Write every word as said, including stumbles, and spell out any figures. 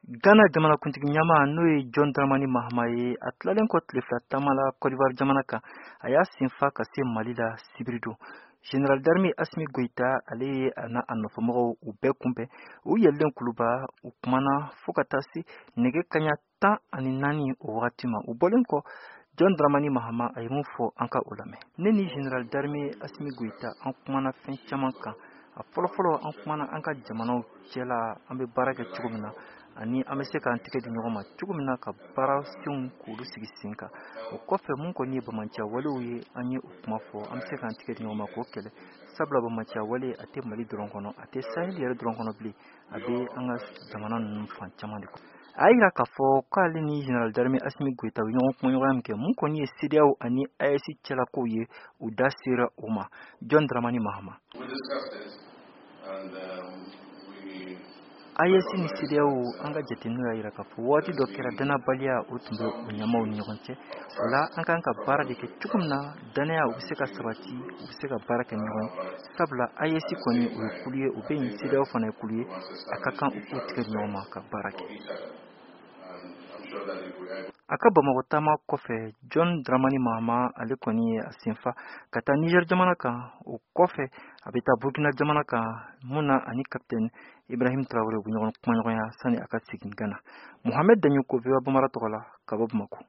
Ghana jamanakuntigi ɲɛmaa, n'o ye John Dramani Mahama ye, a tilalen kɔ tile fila taama la Côte d'Ivoire jamana kan, a y'a senfa ka se Mali la sibiri don. Général d'armée Assimi Goïta, ale ye a n'a a nɔfɛmɔgɔw u bɛɛ kunbɛn. U yɛlɛlen kuluba, u kumana fo ka taa se nɛgɛ kaɲa tan ani naani o wagati ma. U bɔlen kɔ, John Dramani Mahama a ye mun fɔ, an ka o lamɛn. Ne ni général d'armée Assimi Goïta, an kumana fɛn caman kan. A fɔlɔfɔlɔ, an kumana an ka jamanaw cɛla, an bɛ baara kɛ cogo min na, ani an bɛ se k'an tɛgɛ di ɲɔgɔn ma cogo min na ka baara senw k'olu sigi sen kan. O kɔfɛ, mun kɔni ye bamanciya walew ye, an ye o kuma fɔ, an bɛ se k'an tɛgɛ di ɲɔgɔn ma k'o kɛlɛ, sabula bamanciya wale, a tɛ Mali dɔrɔn kɔnɔ, a tɛ Sahel yɛrɛ dɔrɔn kɔnɔ bilen, a bɛ an ka jamana ninnu fan caman de kɔnɔ. A y'a yira k'a fɔ k'ale ni général d'armée Assimi Goïta u ye ɲɔgɔn kumaɲɔgɔnya min kɛ, mun kɔni ye CEDEAO ani A E S cɛlakow ye, u da sera o ma. John Dramani Mahama: And um, we A E S ni CEDEAO, an ka jateminɛw y'a yira k'a fɔ waati dɔ kɛra, danabaliya o tun bɛ u ɲɛmaw ni ɲɔgɔn cɛ. O la, an kan ka baara de kɛ cogo min na danaya o bɛ se ka sabati, u bɛ se ka baara kɛ ɲɔgɔn ye, sabula A E S kɔni, o ye kulu ye, o bɛ yen, CEDEAO fana ye kulu ye, a ka kan u k'u tigɛ di ɲɔgɔn ma ka baara kɛ. Each other. And I'm sure that if we are A ka Bamakɔ taama kɔfɛ, John Dramani Mahama, ale kɔni ye a senfa ka taa Niger jamana kan. O kɔfɛ, a bɛ taa Burkina jamana kan, mun na ani capitaine Ibrahim Traoré u bɛ ɲɔgɔn kumaɲɔgɔnya sani a ka segin Ghana. Mohamed Dagnoko, V O A Bambara tɔgɔ la, ka bɔ Bamakɔ.